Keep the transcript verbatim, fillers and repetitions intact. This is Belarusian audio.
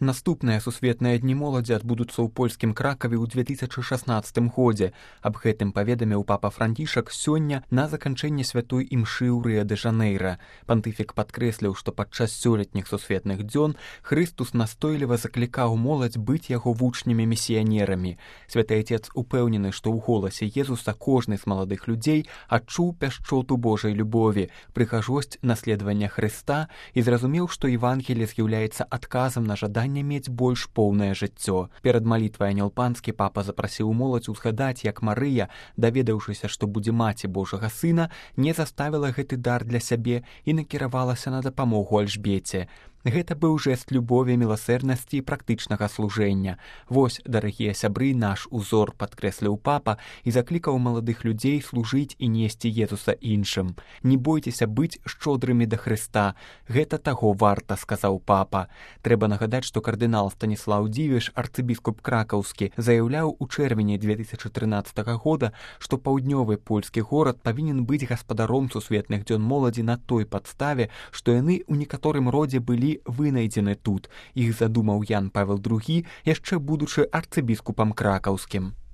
Наступныя сусветныя дні моладзі адбудуцца ў польскім Кракаве ў две тысячы шаснаццатым годзе. Аб гэтым паведаміў папа Францішак сёння на заканчэнне святой імшы ў Рыа-дэ-Жанэйра. Пантыфік падкрэсліў, што падчас сёлетніх сусветных дзён Хрыстус настойліва заклікаў моладзь быць яго вучнямі-місіянерамі. Святы Отец упэўнены, што ў голасе Езуса кожны з маладых людзей адчуў пяшчоту Божай любові, прыгажосць наследавання Хрыста і зразумеў, што Евангелие з'яўляецца адказам на жаданне мець больш поўнае жыццё. Перад малітвай Анёл Панскі папа запрасіў моладзь узгадаць, як Марыя, даведаўшыся, што будзе маці Божага сына, не заставіла гэты дар для сябе і накіравалася на дапамогу Альжбеце. Гэта быў жэст любові, міласэрнасці і практычнага служэння. Вось, дарагія сябры, наш узор, падкрэсліў папа і заклікаў маладых людзей служыць і несці Езуса іншым. Не бойцеся быць шчодрымі да Хрыста. Гэта таго варта, сказаў папа. Трэба нагадаць, што кардынал Станіслаў Дзівіш, арцыбіскуп кракаўскі, заяўляў у чэрвені две тысячы трынаццатага года, што паўднёвы польскі горад павінен быць гаспадаром сусветных дзён моладзі на той падставе, што яны ў некаторым родзе былі вынайдзены тут. Іх задумаў Ян Павел другі, яшчэ будучы арцыбіскупам кракаўскім.